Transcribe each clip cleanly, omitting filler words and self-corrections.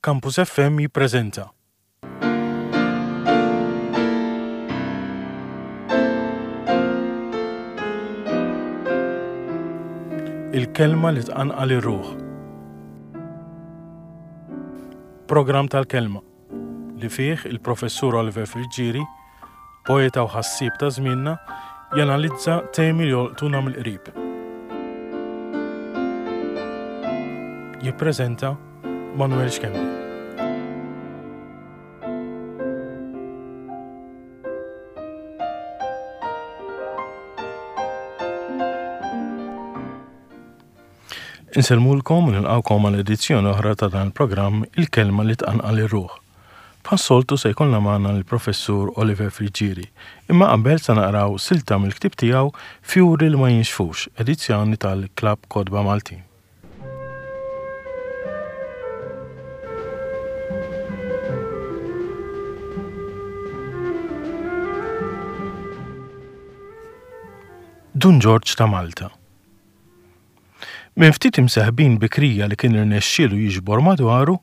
Campus FM jippreżenta. Il-kelma li tqanqal ir-ruħ. Programm tal-kelma li fih il-Professur Oliver Friggieri, poeta u ħassieb ta' żmienna, janalizza temi li jolqtuna mill-qrib. Jippreżenta Manuel Schembri. Insellmulkom u nilqgħukom għal edizzjoni oħra ta' dan il-programm Il-Kelma li tqanqal ir-ruħ. Bħas-soltu se jkollna magħna l-Professur Oliver Friggieri, imma qabel se naqraw silta mill-ktieb tiegħu Fjuri li ma jinxfux, edizzjoni tal-Klabb Kotba Maltin. Dun Ġorġ ta' Malta. Minn ftit imseħbin bikrija li kien irnexxielu jiġbor madwaru,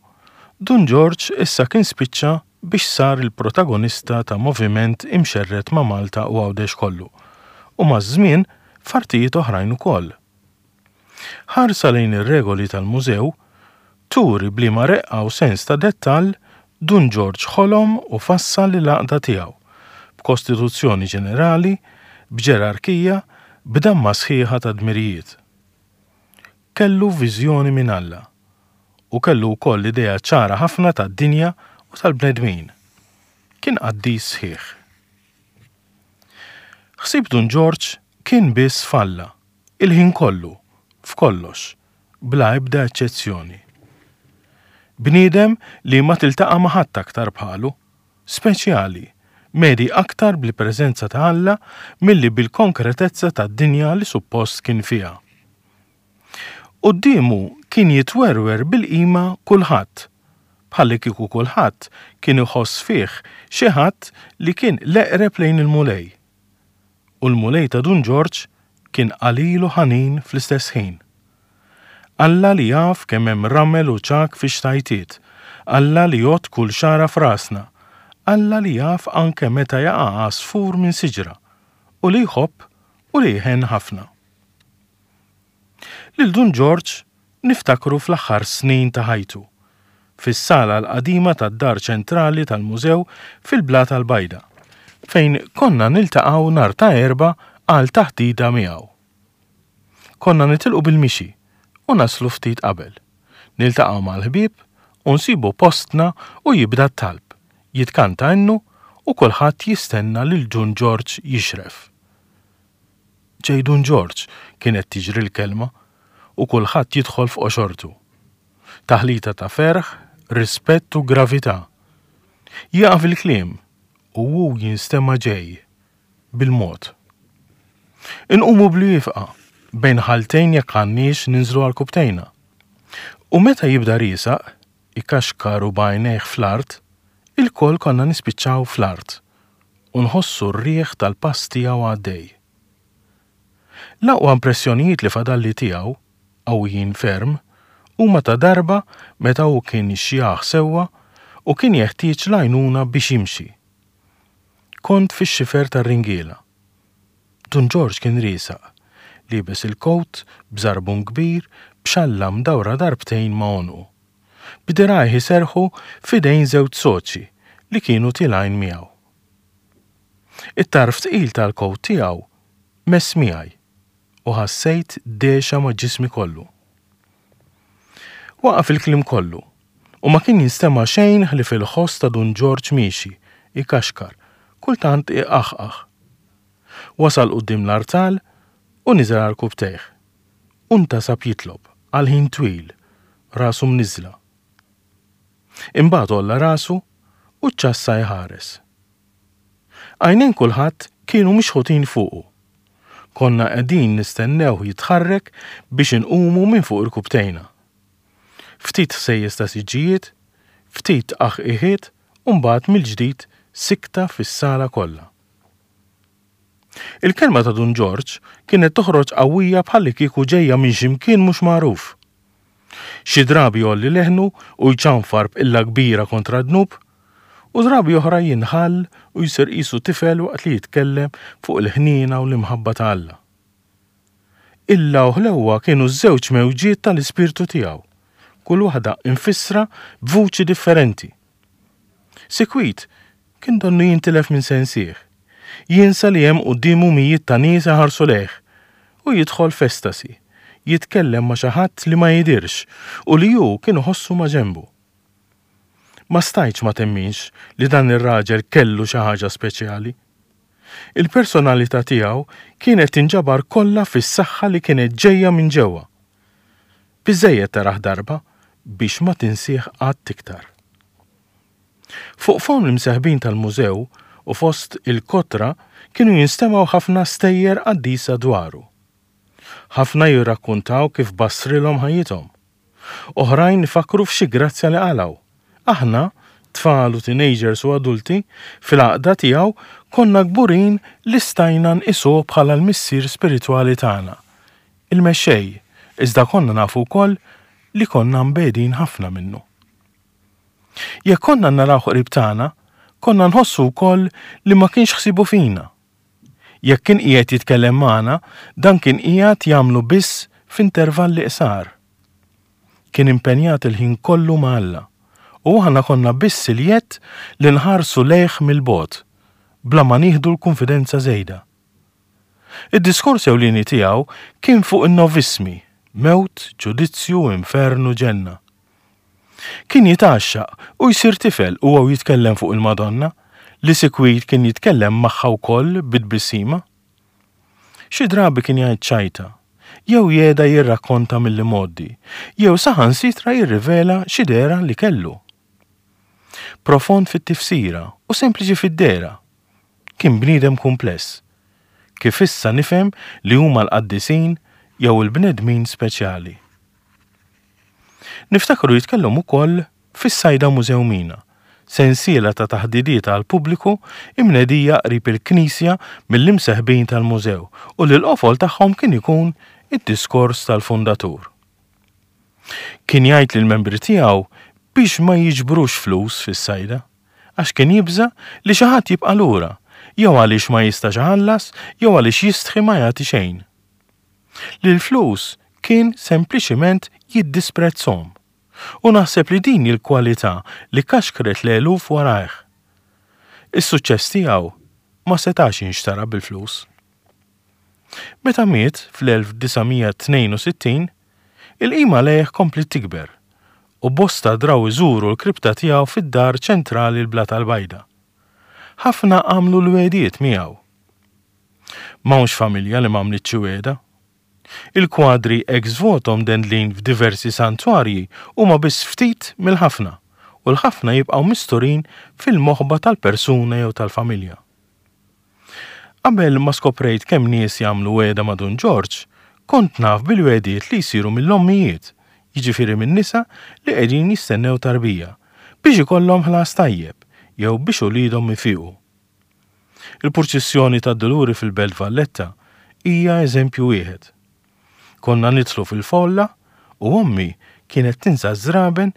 Dun Ġorġ issa kien spiċċa biex sar il-protagonista ta' moviment imxerred ma' Malta u Għawdex kollu, u maż-żmien f'artijiet oħrajn ukoll. Ħarsa lejn ir-regoli tal-mużew turi b'liema reqqa u sens ta' dettall Dun Ġorġ ħolom u fassal il-għaqda tiegħu, b'kostituzzjoni ġenerali, b'ġerarkija, b'damma sħiħa ta' dmirijiet. Kellu viżjoni minn Alla u kellu wkoll idea ċara ħafna tad-dinja u tal-bnedmin. Kien qaddis sħiħ. Ħsieb Dun Ġorġ kien biss f'Alla, il-ħin kollu, f'kollox, bla ebda eċċezzjoni. Bniedem li ma tiltaqa' ma' ħadd aktar bħalu, speċjali, mhedi aktar bl-preżenza ta' Alla milli bil-konkretezza tad-dinja li suppost kien fiha. Quddiemu kien jitwerwer bil-qima kulħadd, bħallikieku kulħadd kien iħoss fih xi ħadd li kien l-eqreb lejn il-Mulej. U l-Mulej ta' Dun Ġorġ kien qalil u ħanin fl-istess ħin. Alla li jaf kemm hemm ramel u ċagħak fix-xtajtiet, Alla li jgħodd kull xagħra f'rasna, Alla li jaf anke meta jaqa' għasfur minn siġra, u li jħobb u li jħenn ħafna. Lil Dun Ġorġ niftakru fl-aħħar snin ta' ħajtu, fis-sala l-qadima tad-Dar Ċentrali tal-Mużew fil-Blata l-Bajda, fejn konna niltaqgħu nhar ta' Erbgħa għal taħdita miegħu. Konna nitilqu bil-mixi u naslu ftit qabel. Niltaqgħu mal-ħbieb u nsibu postna u jibda t-talb, jitkanta innu u kulħadd jistenna lil Dun Ġorġ jixref. Ġej Dun Ġorġ, kienet tiġri l-kelma, u kulħadd jidħol f'qoxortu. Taħlita ta' ferħ, rispett u gravità. Jieqaf il-kliem u hu jinstema' ġej, bil-mod. Inqumu bl-wieqfa, bejn ħaltejn jekk għandniex ninżlu għal kubtejna. U meta jibda riesaq, ikaxkar u b'għajnejh fl-art, ilkoll konna nispiċċaw fl-art u nħossu r-riħ tal-pass tiegħu għaddej. L-aqwa impressjonijiet li fadalli tiegħu, qawwijin ferm, huma ta' darba meta hu kien xjaħ sewwa u kien jeħtieġ l-għajnuna biex jimxi. Kont fix-xifer tar-ringiela. Dun Ġorġ kien riesaq, liebes il-kowt b'żarbun kbir b'xalla mdawra darbtejn ma' għonqu. B'dirgħajh iserrħu f'idejn żewġ soċji li kienu tilgħin miegħu. It-tarf tqil tal-kowt tiegħu mess miegħi u ħassejt dehxa ma' ġismi kollu. Waqaf il-kliem kollu u ma kien jinstema' xejn ħlief il-ħoss ta' Dun Ġorġ miexi, ikaxkar, kultant iqaħqaħ. Wasal quddiem l-artal u niżel għarkupptejh. U ntasab jitlob, għal ħin twil, rasu mniżżla. Imbagħad għolla rasu u ċċassa jħares. Għajnejn kulħadd kienu mixħutin fuqu. Konna qegħdin nistennewh jitħarrek biex inqumu minn fuq irkupptejna. Ftit ħsejjes ta' siġġijiet, ftit tqaħqiħiet u mbagħad mill-ġdid sikta fis-sala kollha. Il-kelma ta' Dun Ġorġ kienet toħroġ qawwija bħallikieku ġejja minn xi mkien mhux magħruf. Xi drabi jgħolli leħnu u jċanfar b'qilla kbira kontra d-dnub, u drabi oħra jinħall u jsir qisu tifel waqt li jitkellem fuq il-ħniena u l-imħabba ta' Alla. Qilla u ħlewwa kienu ż-żewġ mewġiet tal-ispirtu tiegħu, kull waħda imfissra b'vuċi differenti. Sikwit, kien donnu jintilef minn sensih. Jinsa li hemm quddiemu mijiet ta' nies iħarsu lejh u jidħol f'estasi, jitkellem ma' xi ħadd li ma jidhirx u li hu kien iħossu maġenbu. Ma stajtx ma temminx li dan ir-raġel kellu xi ħaġa speċjali. Il-personalità tiegħu kienet tinġabar kollha fis-saħħa li kienet ġejja minn ġewwa. Biżżejjed tarah darba biex ma tinsih qatt iktar. Fuq fomm l-imseħbin tal-mużew u fost il-kotra kienu jinstemgħu ħafna stejjer qaddisa dwaru. Ħafna jirrakkuntaw kif bassrilhom ħajjithom. Oħrajn ifakkru f'xi grazzja li qalgħu. Aħna, tfal u teenagers u adulti, fil-għaqda tiegħu konna kburin li stajna nqisuh bħala l-missier spiritwali tagħna, il-mexxej, iżda konna nafu wkoll li konna mbegħdin ħafna minnu. Jekk konna narawh qrib tagħna, konna nħossu wkoll li ma kienx ħsiebu fina. Jekk kien qiegħed jitkellem magħna, dan kien qiegħed jagħmlu biss f'intervalli qsar. Kien impenjat il-ħin kollu ma' Alla, u aħna konna biss il-jedd li nħarsu lejh mill-bogħod, bla ma nieħdu l-kunfidenza żejda. Id-diskors ewlieni tiegħu kien fuq in-novissmi, mewt, ġudizzju, infern u ġenna. Kien jitgħaxxaq u jsir tifel huwa u jitkellem fuq il-Madonna, li sikwit kien jitkellem magħha wkoll bi tbissima. Xi drabi kien jgħid ċajta, jew jeda jirrakkonta mill-imgħoddi, jew saħansitra jirrivela xi dehra li kellu. Profond fit-tifsira u sempliċi fid-dehra. Kien bniedem kumpless. Kif issa nifhem li huma l-qaddisin jew il-bnedmin speċjali. Niftakru jitkellem ukoll fis-Sajda Mużew Mina, sensiela ta' taħdidiet għall-pubbliku imnedija qrib il-knisja mill-imseħbin tal-mużew u li l-qofol tagħhom kien ikun id-diskors tal-fundatur. Kien jgħid lill-membri tiegħu biex ma jiġbrux flus fis-sajda, għax kien jibża' li xi ħadd jibqa' lura, jew għaliex ma jistax iħallas jew għaliex jistħi ma jagħti xejn. Li l-flus kien sempliċiment jiddisprezzhom. U naħseb li din hi l-kwalità li kaxkret l-eluf warajh. Is-suċċess tiegħu ma setax jinxtara bil-flus. Meta miet fl-1962, il-qima lejh kompliet tikber u bosta draw iżuru l-kripta tiegħu fid-Dar Ċentrali l-Blata l-Bajda. Ħafna għamlu l-wegħdiet miegħu. M'hawnx familja li m'għamlitx xi wegħda. Il-kwadri ex voto mdendlin f'diversi santwarji huma biss ftit mill-ħafna, u l-ħafna jibqgħu misturin fil-moħba tal-persuna jew tal-familja. Qabel ma skoprejt kemm nies jagħmlu wegħda ma' Dun Ġorġ, kont naf bil-wegħdiet li jsiru mill-ommijiet, jiġifieri min-nisa li qegħdin jistennew tarbija, biex ikollhom ħlas tajjeb jew biex uliedhom ifiqu. Il-purċissjoni tad-Duluri fil-Belt Valletta hija eżempju wieħed. Konna nidħlu fil-folla u ommi kienet tinża' ż-żraben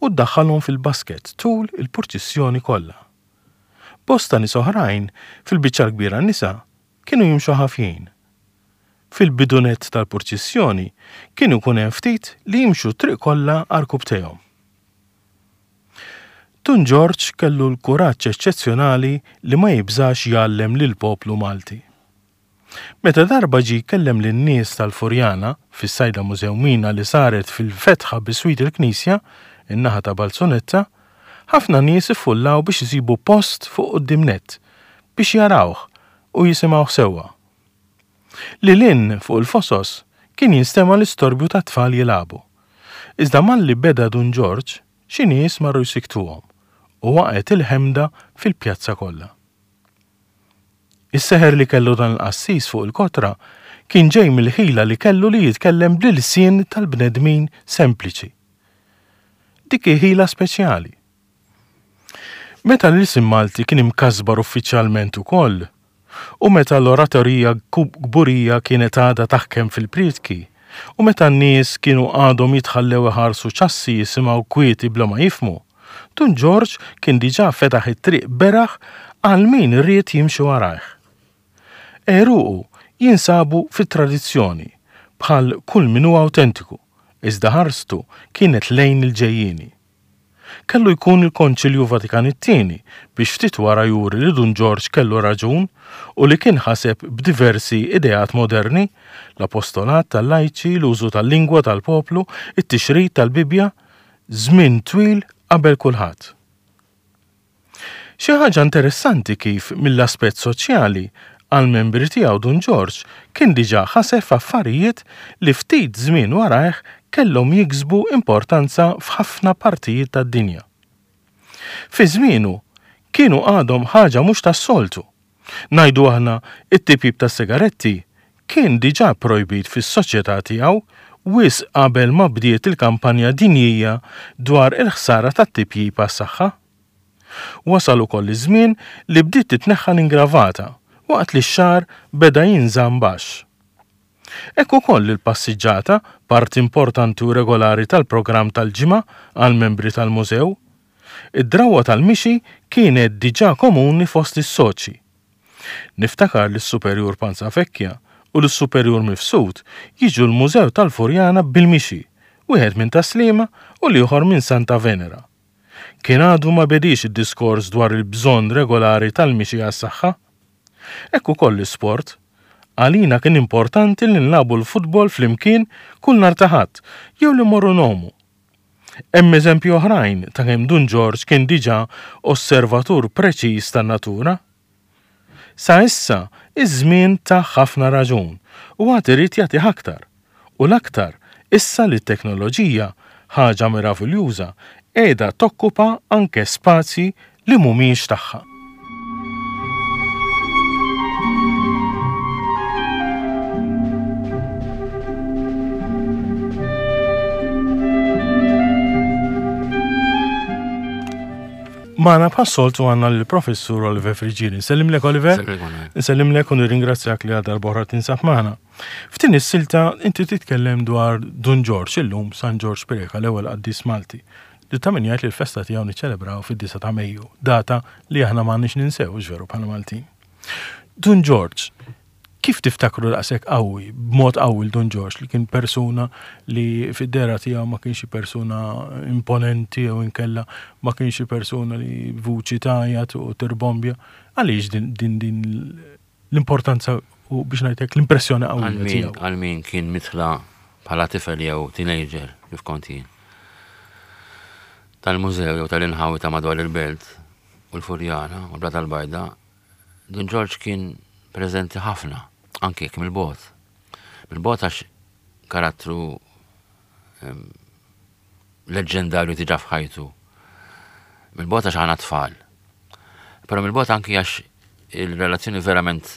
u ddaħħalhom fil-basket tul il-purċissjoni kollha. Bosta nies oħrajn, fil-biċċa l-kbira nisa, kienu jimxu ħafjin. Fil-bidu nett tal-purċissjoni kien ikun hemm ftit li jimxu t-triq kollha għarkupptejhom. Dun Ġorġ kellu l-kuraġġ eċċezzjonali li ma jibżax jgħallem lill-poplu Malti. Meta darba ġie jkellem lin-nies tal-Furjana, fis-sajda Mużewmina li saret fil-fetħa biswit il-knisja, in-naħa ta' Balzunetta, ħafna nies iffullaw biex isibu post fuq quddiem nett, biex jarawh u jisimgħuh sewwa. Lil hinn fuq il-fosos kien jinstema' l-istorbju tat-tfal jilagħbu. Iżda malli beda Dun Ġorġ, xi nies marru jsikktuhom u waqgħet il-ħemda fil-pjazza kollha. Is-seħer li kellu dan il-qassis fuq il-kotra kien ġej mill-ħila li kellu li jitkellem bl-ilsien tal-bnedmin sempliċi. Dik hi ħila speċjali. Meta l-ilsien Malti kien imkasbar uffiċjalment ukoll, u meta l-oratorija kburija kienet għadha taħkem fil-prietki, U meta n-nies kienu għadhom jitħallew iħarsu ċassi jisimgħu kwieti bla ma jifhmu, Dun Ġorġ kien diġà fetaħ it-triq beraħ għal min ried jimxi warajh. Għeruqu jinsabu fit-tradizzjoni, bħal kull min hu awtentiku, iżda ħarstu kienet lejn il-ġejjieni. Kellu jkun il-Konċilju Vatikan it-Tieni biex ftit wara juri li Dun Ġorġ kellu raġun u li kien ħaseb b'diversi ideat moderni, l-apostolat tal-lajċi, l-użu tal-lingwa tal-poplu, it-tixrid tal-Bibbja, żmien twil qabel kulħadd. Xi ħaġa interessanti kif mill-aspett soċjali, għall-membri tiegħu Dun Ġorġ kien diġà ħaseb f'affarijiet li ftit żmien warajh kellhom jiksbu importanza f'ħafna partijiet tad-dinja. Fi żmienu kienu għadhom ħaġa mhux tas-soltu. Ngħidu aħna, it-tipjip tas-sigaretti kien diġà projbit fis-soċjetà tiegħu wisq qabel ma bdiet il-kampanja dinjija dwar il-ħsara tat-tipjip għas-saħħa. Wasal ukoll iż-żmien li bdiet titneħħa l-ingravata waqt li x-xagħar beda jinżamm baxx. Hekk ukoll il-passiġġata, parti importanti u regolari tal-programm tal-ġimgħa għall-membri tal-mużew. Id-drawwa tal-mixi kienet diġà komuni fost is-soċji. Niftakar lis-Superjur Panzavecchia u lis-Superjur Mifsud jiġu l-Mużew tal-Furjana bil-mixi, wieħed minn Tas-Sliema u l-ieħor minn Santa Venera. Kien għadu ma bediex id-diskors dwar il-bżonn regolari tal-mixi għas-saħħa. Hekk ukoll l-isport. Għalina kien importanti li nilagħbu l-futbol flimkien kull nhar ta' Ħadd jew li mmorru ngħumu. Hemm eżempji oħrajn ta' kemm Dun Ġorġ kien diġà osservatur preċiż tan-natura. Sa issa, iż-żmien tah ħafna raġun u għad irid jagħtih aktar. U l-aktar issa li t-teknoloġija, ħaġa meraviljuża, qiegħda tokkupa anke spazji li mhumiex tagħha. Magħna bħas-soltu għandna lill-Professur Oliver Friggieri. Nsellimlek Oliver. Nsellimlek u nirringrazzjak li għal darb'oħra tinsab magħna. F'din is-silta inti titkellem dwar Dun Ġorġ illum San Ġorġ Preca l-ewwel qaddis Malti. Li ta' min jgħid li l-festa tiegħu niċċelebraw fid-9 ta' Mejju, data li aħna m'għandniex ninsew, hux veru bħala Maltin. Dun Ġorġ, kif tiftakru daqshekk qawwi, b'mod qawwi l Dun Ġorġ li kien persuna li fid-dehra tiegħu ma kienx xi persuna imponenti jew inkella ma kienx xi persuna li vuċi tgħajjat u tirbombja. Għaliex din din din l-importanza u biex ngħid hekk l-impressjoni qawwija tiegħu. Għal min kien mitla bħala tifel jew teenager kif kont jien. Tal-mużew jew tal-inħawi ta' madwar il-belt u l-Furjana u l-Blata l-Bajda, Dun Ġorġ kien preżenti ħafna, anke jekk mill-bogħod. Mill-bogħod għax karattru ehm, leġġendarju diġà f'ħajtu. Mill-bogħod għax aħna tfal. Però mill-bogħod anki għax il-relazzjoni verament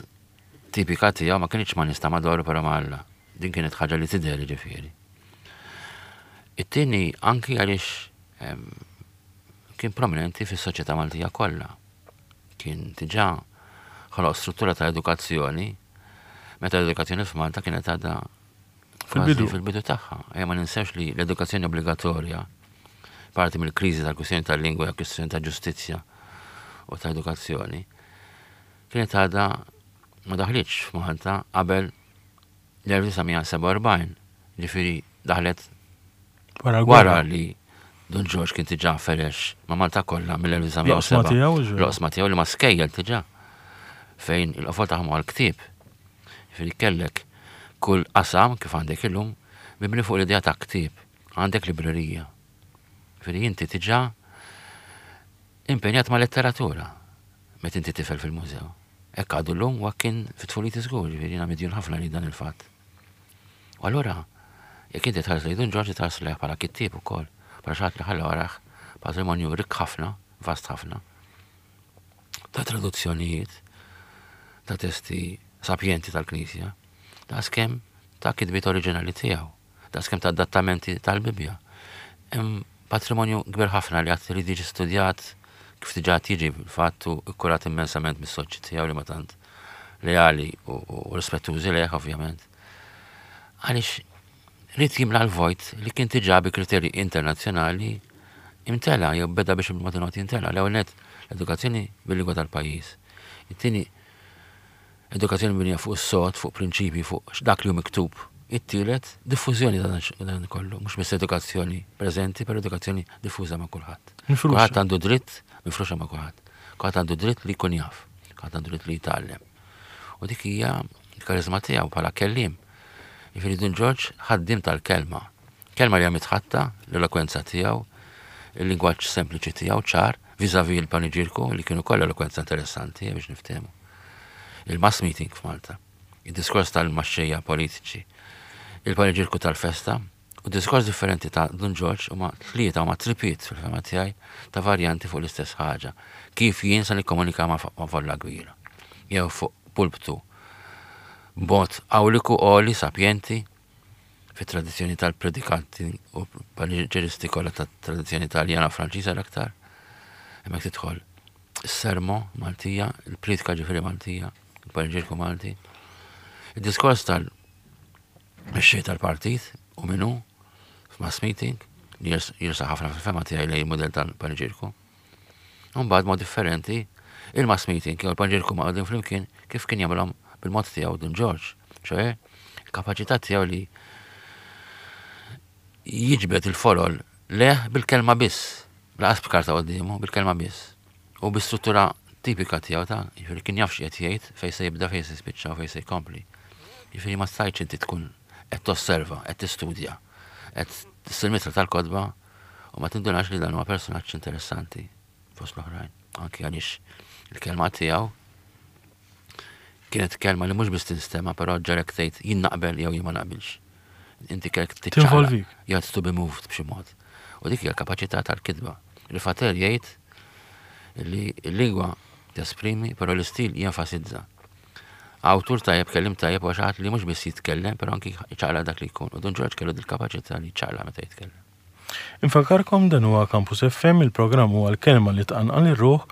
tipika tiegħu ma kienx ma' nies ta' madwaru però ma' Alla. Din kienet ħaġa li tidher ġifieri. It-tieni anki għaliex ehm, kien prominenti fis-soċjetà Maltija kollha. Kien diġà ħoloq struttura ta' edukazzjoni meta l-edukazzjoni f'Malta kienet għadha Fil-bidu. Fil-bidu tagħha. Ejja ma ninsewx li l-edukazzjoni obbligatorja parti mill-kriżi tal-kwistjoni tal-lingwa jew kwistjoni ta' ġustizzja u ta' edukazzjoni kienet għadha ma daħlitx f'Malta qabel l-1947, ġifieri daħlet wara li Dun Ġorġ kien diġà ferex ma' Malta kollha mill-1907. L-oqsma tiegħu li ma skejjel diġà fejn il-qofol tagħhom huwa l-ktieb. Ġifieri kellek kull qasam kif għandek illum mibni fuq l-idea ta' ktieb, għandek librerija. Ġifieri inti diġà impenjat ma' letteratura meta inti tifel fil-mużew. Hekk għadu llum u hekk kien fi tfuliti żgur, ġifieri jiena midjun ħafna li dan il-fatt. U allura, jekk inti tħares lejn Dun Ġorġ tħares lejh bħala kittieb ukoll, bħala xi ħadd li ħalla warajh patrimonju rikk ħafna, vast ħafna, ta' traduzzjonijiet, ta' testi sapjenti tal-Knisja, daqskemm ta' kitbiet oriġinali tiegħu, daqskemm ta' adattamenti tal-Bibbja. Hemm patrimonju kbir ħafna li għad irid jiġi studjat kif diġà qed jiġi fil-fatt u kkurat immensament mis-soċji tiegħu li ma tant leali u rispettużi lejh ovvjament. Għaliex Ried jimla l-vojt li kien diġà bi kriterji internazzjonali imtela jew beda biex bil-mod il-mod jimtela. L-ewwel nett l-edukazzjoni bil-lingwa tal-pajjiż. It-tieni edukazzjoni mibnija fuq is-sod, fuq prinċipji, fuq dak li hu miktub. It-tielet, diffużjoni ta' dan kollu, mhux biss edukazzjoni preżenti, però edukazzjoni diffuża ma' kulħadd. Kulħadd għandu dritt, mifruxa ma' kulħadd. Kulħadd għandu dritt li jkun jaf, kulħadd għandu dritt li jitgħallem. U dik hija l-karizma tiegħu bħala kelliem. Jiġifieri Dun Ġorġ ħaddiem tal-kelma. Kelma li hija mitħatta, l-elokwenza tiegħu, il-lingwaġġ sempliċi tiegħu ċar, vis-à-vis il-paniġirku li kien ukoll elokwenza interessanti eh, biex niftehmu. Il-mass meeting f'Malta, id-diskors tal-maxxejja politiċi, il-paniġirku tal-festa, u diskors differenti ta' Dun Ġorġ huma tlieta huma tripiet fil-fema tiegħi ta' varjanti fuq l-istess ħaġa. Kif jien se nikkomunika ma' folla kbira. Jew fuq pulptu b'mod awliku għoli sapjenti fit-tradizzjoni tal-predikanti u paniġeristi kollha tat-tradizzjoni Taljana u Franċiża l-aktar. Hemmhekk tidħol is-sermo Maltija, il-priedka ġifieri Maltija, il-paniġierku Malti. Id-diskors tal-mexxej tal-partit u minnu f'mass meeting li jirsa ħafna fil-fema tiegħi lejn il-mudell tal-paniġierku. U mbagħad mod differenti, il-mass meeting jew il-panġirku maqgħudin flimkien kif kien jagħmilhom bil-mod tiegħu Dun Ġorġ, ċoe il-kapaċità tiegħu li jiġbed il-folol leh bil-kelma biss, laqas b'karta quddiemu, bil-kelma biss. U bi struttura tipika tiegħu ta' jiġifieri kien jaf x'qed jgħid, fejn se jibda, fejn se jispiċċa u fejn se jkompli. Jiġifieri ma stajtx inti tkun qed tosserva, qed tistudja, qed tissir mitra tal-kotba U ma tindunax li dan huwa personaġġ interessanti fost l-oħrajn, anki għaliex il-kelma tiegħu kienet kelma li mhux biss tinstema' però ġarek tgħid jien naqbel jew jien ma naqbilx. Inti kellek tiċċaqlaq. You had to be moved b'xi mod. U dik hija l-kapaċità tal-kitba. Rifater jgħid li l-lingwa tesprimi, però l-istil jenfasizza. Awtur tajjeb, kelliem tajjeb huwa xi ħadd li mhux biss jitkellem, però anki jċaqlaq dak li jkun. U Dun Ġorġ kellu dil-kapaċità li jċaqlaq meta jitkellem. Infakkarkom dan huwa Campus FM, il-programm huwa l-kelma li tqanqal ir-ruħ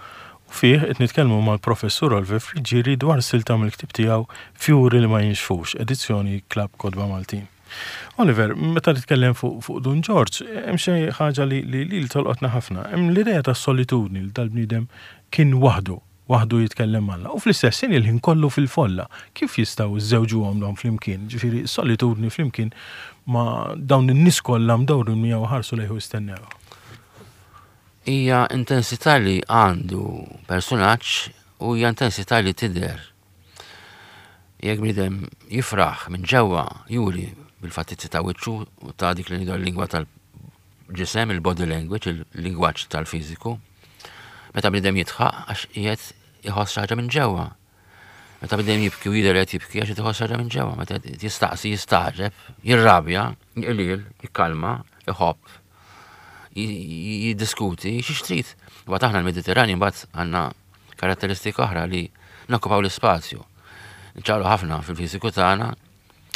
u fih qed nitkellmu mal-Professur Oliver Friggieri dwar silta mill-ktieb tiegħu Fjuri li ma jinxfux, edizzjoni Klabb Kotba Maltin. Oliver, meta titkellem fuq fuq Dun Ġorġ, hemm xi ħaġa li li li tolqotna ħafna. Hemm l-idea tas-solitudni li dal-bniedem kien waħdu waħdu jitkellem m'Alla u fl-istess ħin il-ħin kollu fil-folla. Kif jistgħu żżewġuhom dawn flimkien? Ġifieri s-solitudni flimkien ma' dawn in-nies kollha mdawrin miegħu iħarsu lejh u jistennew. Hija intensità li għandu persunaġġ u hija intensità li tidher. Jekk bniedem jifraħ minn ġewwa juri bil-fattizzi ta' wiċċu u ta' dik li ngħidu l-lingwa tal ġisem, il-body language, il-lingwaġġ tal-fiżiku. Meta bniedem jidħaq għax qiegħed iħoss xi ħaġa minn ġewwa. Meta bniedem jibki u jidher qed jibki għax qed iħoss xi ħaġa minn ġewwa. Meta jistaqsi, jistagħġeb, jirrabja, jqliel, jikkalma, iħobb, jiddiskuti, xi xtrid. Imbagħad aħna l-Mediterrani mbagħad għandna karatteristika oħra li nokkupaw l-ispazju. Nċaqlu ħafna fil-fiżiku tagħna,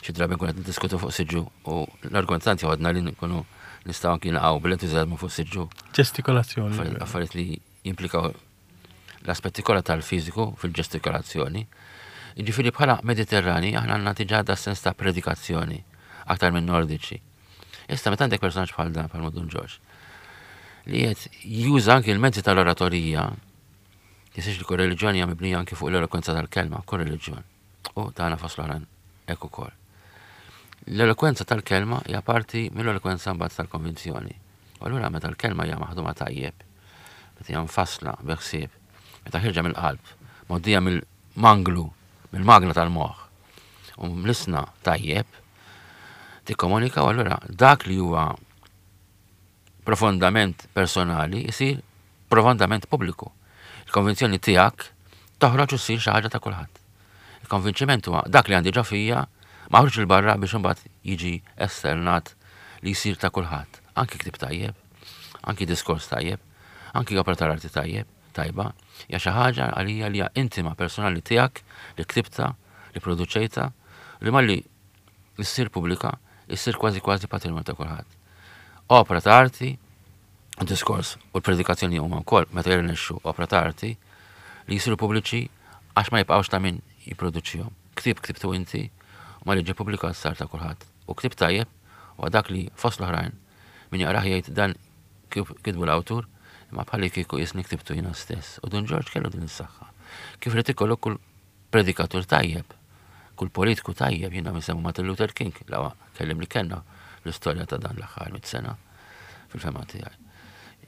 Xi drabi nkunu qed niddiskutu fuq siġġu u l-argument tant joħodna li nkunu nistgħu anki naqgħu bil-entużjażmu fuq siġġu. Ġestikolazzjoni. Affarijiet li jimplikaw l-aspetti kollha tal-fiżiku fil-ġestikolazzjoni. Jiġifieri bħala Mediterrani aħna għandna diġà da sens ta' predikazzjoni aktar minn Nordiċi. Issa meta għandek personaġġ bħal dan bħal Dun Ġorġ li qed juża anki l-mezzi tal-oratorija, jisiex li kull reliġjoni hija mibnija anki fuq l-elokwenza tal-kelma, kull reliġjon. U tagħna fost l-oħrajn hekk ukoll. L-elokwenza tal-kelma hija parti mill-elokwenza mbagħad tal-konvinzjoni. U allura meta l-kelma hija maħduma tajjeb, meta hija mfassla bi ħsieb, meta ħirġa mill-qalb, mgħoddija mill-manglu, mill-magna tal-moħħ, u mlisna tajjeb, tikkomunika u allura dak li huwa profondament personali jsir profondament pubbliku. Il-konvinzjoni tiegħek toħroġ u ssir xi ħaġa ta' kulħadd. Il-konvinċiment huwa dak li għandi ġo fija maħruġ 'il barra biex imbagħad jiġi esternat li jsir ta' kulħadd. Anki ktieb tajjeb, anki diskors tajjeb, anki opra tal-arti tajjeb, tajba, hija xi ħaġa għalija li hija intima personali tiegħek li ktibtha, li produċejtha, li malli issir pubblika, issir kważi kważi patrimonju ta' kulħadd. Opra ta' arti, diskors u l-predikazzjoni huma wkoll meta jirnexxu opra ta' arti li jisiru pubbliċi għax ma jibqgħux ta' min jipproduċihom. Ktieb ktibtu inti u ma li ġie pubblikat sar ta' kulħadd. U ktieb tajjeb Huwa dak li fost l-oħrajn min jaqrah jgħid dan kitbu l-awtur imma bħalli kieku jisni ktibtu jiena stess. U Dun Ġorġ kellu din is-saħħa. Kif irid ikollu kull predikatur tajjeb, kull politiku tajjeb, jiena nsemmu Martin Luther King, l-aqwa kellim li kellna l-istorja ta' dan l-aħħar mit sena fil-fema tiegħi.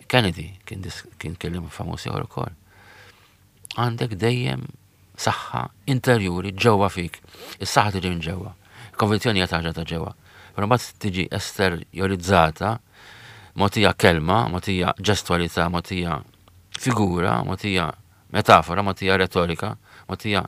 Kennedy kien, kien kellim famuż ieħor ukoll. Għandek dejjem saħħa interjuri ġewwa fik. Is-saħħa tiġi minn ġewwa. Il-konvinzjoni hija ħaġa ta' ġewwa. Però mbagħad tiġi esterjorizzata, mogħtija kelma, mogħtija ġestwalità, mogħtija figura, mogħtija metafora, mogħtija retorika, mogħtija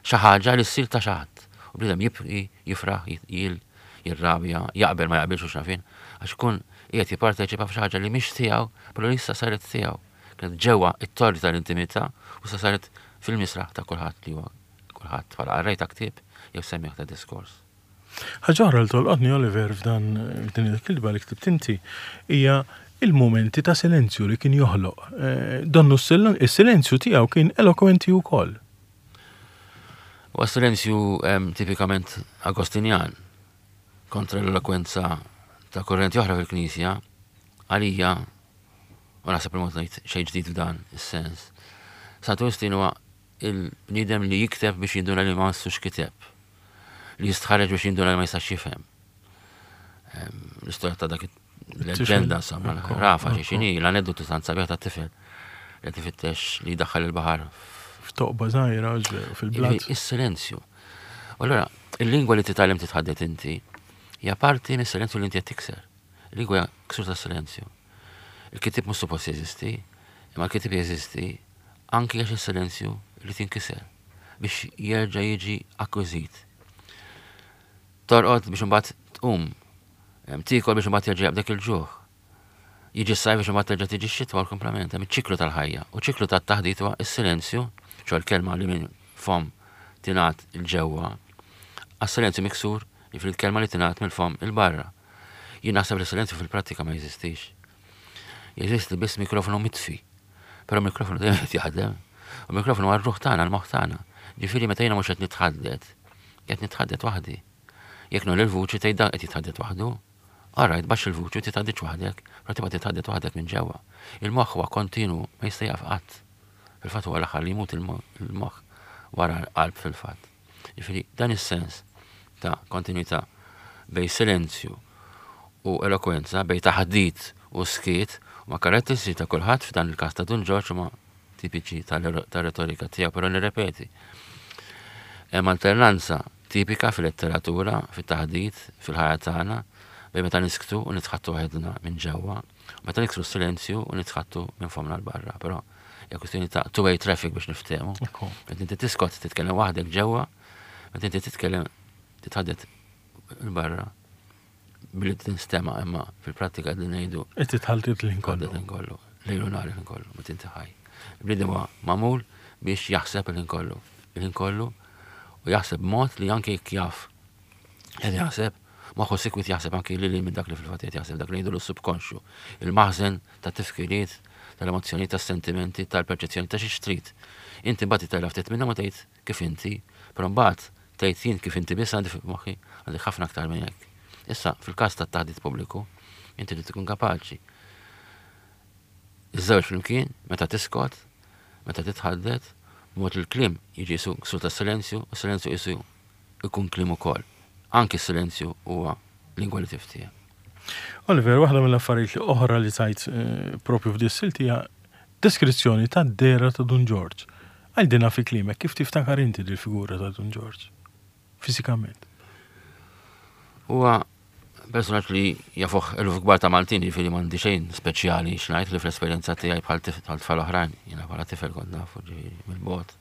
xi ħaġa li ssir ta' xi ħadd. U bniedem jibki, jifraħ, jil, jirrabja, jaqbel ma jaqbilx u x'nafin, għax ikun qiegħed jipparteċipa f'xi ħaġa li mhix tiegħu, però li issa saret tiegħu. Kienet ġewwa t-torri tal-intimità u issa saret fil-misraħ ta' kulħadd li huwa kulħadd bħala qarrej ta' ktieb jew semmiegħ ta' diskors. Ħaġa oħra li tolqotni Oliver f'dan f'din il-kitba li ktibt inti hija il-mumenti ta' silenzju li kien joħloq. Eh, donnu s-silenzju tiegħu kien elokwenti wkoll. Huwa silenzju tipikament Agostinjan kontra l-elokwenza ta' kurrenti oħra fil-Knisja għalija u naħseb li ngħid xejn ġdid f'dan is-sens. Santu Wistin huwa il-bniedem li jikteb biex jinduna li ma missux kiteb, li jistħarreġ biex jinduna li ma jistax jifhem. L-istorja ta' dak il-leġenda, insomma, rafa xi xini, l-aneddotu tant sabiħ ta' tifel li tifittex li jdaħħal il-baħar. F'toqba żgħira fil-blat. Is-silenzju. U allura, il-lingwa li titgħallem titħaddet inti hija parti mis-silenzju li inti qed tikser. Il-lingwa hija ksur tas-silenzju. Il-kittieb mhux suppost jeżisti, imma l-kittieb jeżisti anki għax is-silenzju li tinkiser biex jerġa' jiġi akkwiżit. Torqod biex imbagħad tqum, tiekol biex imbagħad jerġa' jaqbdek il-ġuħ. Jiġi s-sajf biex imbagħad terġa' tiġi x-xitwa u l-kumplament, hemm iċ-ċiklu tal-ħajja. U ċiklu tat-taħdit huwa s-silenzju, ċo l-kelma li minn fomm tingħad 'il ġewwa, għas-silenzju miksur, jiġifieri l-kelma li tingħad mill-fomm 'il barra. Jien naħseb li silenzju fil-prattika ma jeżistix. Jeżisti biss mikrofonu mitfi. Però mikrofonu dejjem qed jaħdem. U mikrofonu huwa r-ruħ tagħna, l-moħħ tagħna. Ġifieri meta jiena mhux qed nitħaddet, qed nitħaddet waħdi. Jekk nolli l-vuċi tgħid dan qed jitħaddet waħdu. All right, baxx il-vuċi u titħadditx waħdek, però tibqa' titħaddet waħdek minn ġewwa. Il-moħħ huwa kontinwu, ma jista' jieqaf qatt. Fil-fatt huwa l-aħħar li jmut il-moħħ wara l-qalb fil-fatt. Jiġifieri dan is-sens ta' kontinwità bejn silenzju u elokwenza, bejn taħdit u skiet, huma karatteristiċi ta' kulħadd f'dan il-każ ta' Dun Ġorġ huma tipiċi tar-retorika tiegħu, però nirrepeti. Hemm alternanza tipika fil-letteratura, fit-taħdit, fil-ħajja tagħna, bejn meta nisktu u nitħattu waħedna minn ġewwa, u meta niksru s-silenzju u nitħattu minn fomna 'l barra. Però hija kwistjoni ta' two-way traffic biex niftehmu. Meta inti tiskot titkellem waħdek ġewwa, meta inti titkellem titħaddet 'il barra billi tinstema' imma fil-prattika qegħdin ngħidu. Qed titħaltet l-ħin kollu. L-ħin kollu. Lejl u nhar il-ħin kollu, meta inti ħaj. Il-bniedem huwa magħmul biex jaħseb il-ħin kollu. Il-ħin kollu u jaħseb b'mod li anke jekk jaf qed jaħseb, moħħu sikwit jaħseb anke lil minn dak li fil-fatt qed jaħseb dak li jgħidu l-subkonxju. Il-maħżen ta' tifkiriet, tal-emozzjonijiet, tas-sentimenti, tal-perċezzjoni ta' xi trid. Inti mbagħad titella ftit minnhom u tgħid kif inti, però mbagħad tgħid jien kif inti biss għandi f'moħħi għandi ħafna aktar minn hekk. Issa, fil-każ tat-taħdit pubbliku, inti trid tkun kapaċi. Iż-żewġ flimkien, meta tiskot, meta titħaddet, b'mod li l-kliem jiġi qisu ksur tas-silenzju, u s-silenzju qisu jkun kliem ukoll. Anki s-silenzju huwa lingwa li tiftiehem. Oliver, waħda mill-affarijiet li oħra li tajt eh, propju f'dis-silt hija deskrizzjoni tad-dehra ta' Dun Ġorġ. Għidilna fi kliemek kif tiftakar inti dil-figura ta' Dun Ġorġ, fiżikament. Huwa personaġġ li jafuh eluf kbar ta' Maltin, jiġifieri m'għandi xejn speċjali x'ngħid li fl-esperjenza tiegħi bħal tfal oħrajn, jiena bħala tifel kont nafu ġifieri mill-bogħod.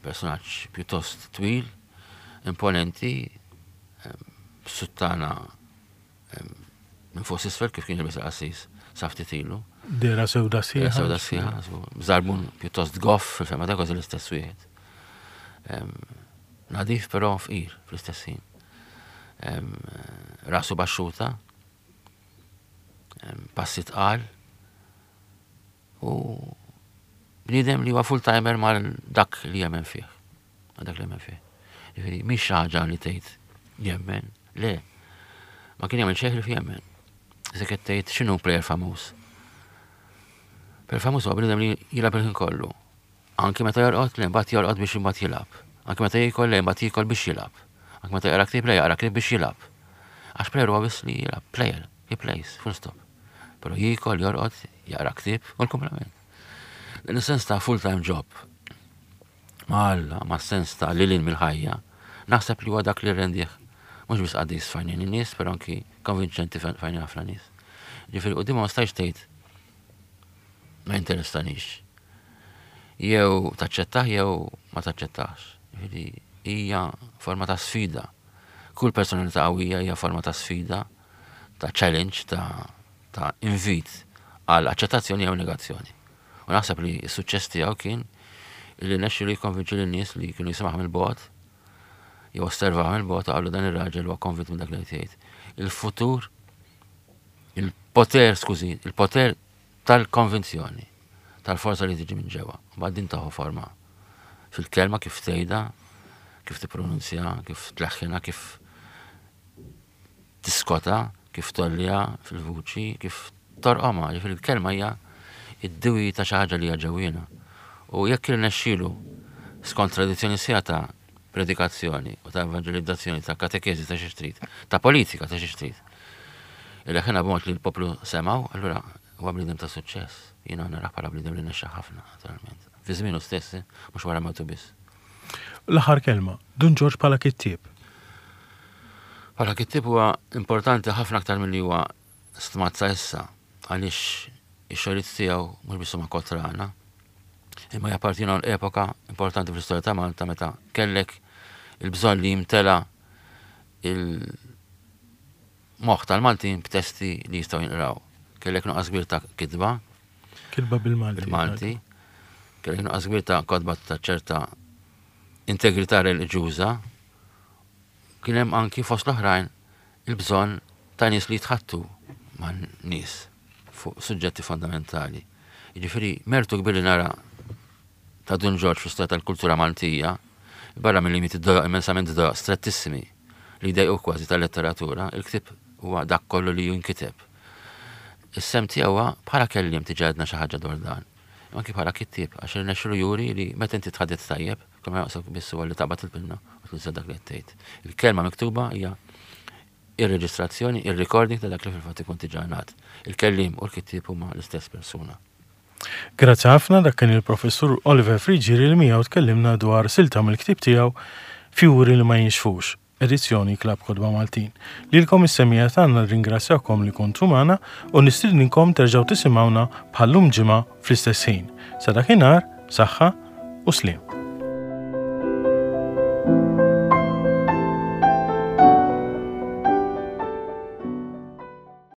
Personaġġ pjuttost twil, imponenti, suttana minn fuq s'isfel kif kien jilbes il-qassis sa ftit ilu. Dera sewda sħiħa. Dera sewda sħiħa, żarbun pjuttost goff fil-fema ta' kważi l-istess wieħed. Nadif però fqir fl-istess ħin. Rasu baxxuta, passi tqal u bniedem li huwa full-timer mal dak li jemmen fih. Ma dak li jemmen fih. Jiġifieri mhix xi ħaġa li tgħid jemmen. Le. Ma kien jagħmel xejn ħlief jemmen. Se qed tgħid x'inhu plejer famuż. Plejer famuż huwa bniedem li jilgħab il-ħin kollu. Anki meta jorqod, le mbagħad jorqod biex imbagħad jilgħab. Anki meta jiekol, le mbagħad jiekol biex jilgħab. Anki meta jaqra ktieb, le jaqra ktieb biex jilgħab. Għax player huwa biss li jilgħab, player, he plays, full stop. Però jiekol, jorqod, jaqra ktieb u l-kumplament. Dan is-sens ta' full-time job ma' Alla, ma' sens ta' lilin mill-ħajja, naħseb li huwa dak li rendih mhux biss qaddis f'għajnejn in-nies, però anki konvinċenti f'għajnejn ħafna nies. Ġifieri quddiem ma stajx tgħid ma jinteressanix. Jew taċċettah jew ma taċċettahx. Ġifieri hija forma ta' sfida. Kull personalità qawwija hija forma ta' sfida, ta' challenge, ta' ta' invit għal aċċettazzjoni jew negazzjoni. U naħseb li s-suċċess tiegħu kien li nexxielu jikkonvinċi lin-nies li kienu jisimgħu mill-bogħod jew osservaw mill-bogħod u qalu dan ir-raġel huwa konvint minn dak li qed jgħid. Il-futur, il-poter, skużi, il-poter tal-konvinzjoni, tal-forza li tiġi minn ġewwa. Mbagħad din taħu forma fil-kelma kif tgħidha, kif tippronunzja, kif tleħħinha, kif tiskota, kif tgħolliha fil-vuċi, kif torqomha, jiġifieri l-kelma hija id-diwi ta' xi ħaġa li hija ġewwiena. U jekk irnexxielu skont tradizzjoni sħiħa ta' predikazzjoni u ta' evanġelizzazzjoni, ta' katekeżi ta' xi trid, ta' politika ta' xi trid. Ileħħinha b'mod li l-poplu semgħu, allura huwa bniedem ta' suċċess. Jiena narah bħala bniedem li nexxa ħafna, naturalment. Fi żmienu stess, eh, mhux wara mewtu biss. L-aħħar kelma, Dun Ġorġ bħala kittieb. Bħala kittieb huwa importanti ħafna aktar milli huwa stmat sa issa għaliex ix-xogħlijiet tiegħu mhux biss huma kotrana, imma jappartienu għal epoka importanti fl-istorja ta' Malta meta kellek il-bżonn li jimtela il-moħħ tal-Maltin b'testi li jistgħu jinqraw. Kellek nuqqas kbir ta' kitba. Kitba bil-Malti. Bil-Malti. Kellek nuqqas kbir ta' kotba ta' ċerta integrità reliġjuża. Kien hemm anki fost l-oħrajn il-bżonn ta' nies li jitħaddtu man-nies fuq suġġetti fondamentali. Jiġifieri mertu kbir li nara ta' Dun Ġorġ fl-istorja tal-kultura Maltija, barra mill-limiti dojoq immensament dojoq strettissimi li jdejquk kważi tal-letteratura, il-ktieb huwa dak kollu li jinkiteb. Is-sehem tiegħu huwa bħala kelliem diġà għedna xi ħaġa dwar dan. Imma anki bħala kittieb għax irnexxielu juri li meta inti tħaddet tajjeb, kull ma jonqsok biss huwa li taqbad il-pinna u tuża dak li qed tgħid. Il-kelma miktuba hija ir-reġistrazzjoni, ir-recording ta' dak li fil-fatt ikun diġà ngħad. Il-kelliem u l-kittieb huma l-istess persuna. Grazzi ħafna, dak kien il-Professur Oliver Friggieri li miegħu tkellimna dwar silta mill-ktieb tiegħu Fjuri li ma jinxfux. Edizzjoni Klabb Kotba Maltin. Lilkom is-semmiegħa tagħna nirringrazzjakom li kontu magħna u nistidninkom terġgħu tisimgħuna bħal-lum ġimgħa fl-istess ħin. Sa dakinhar, saħħa u sliem.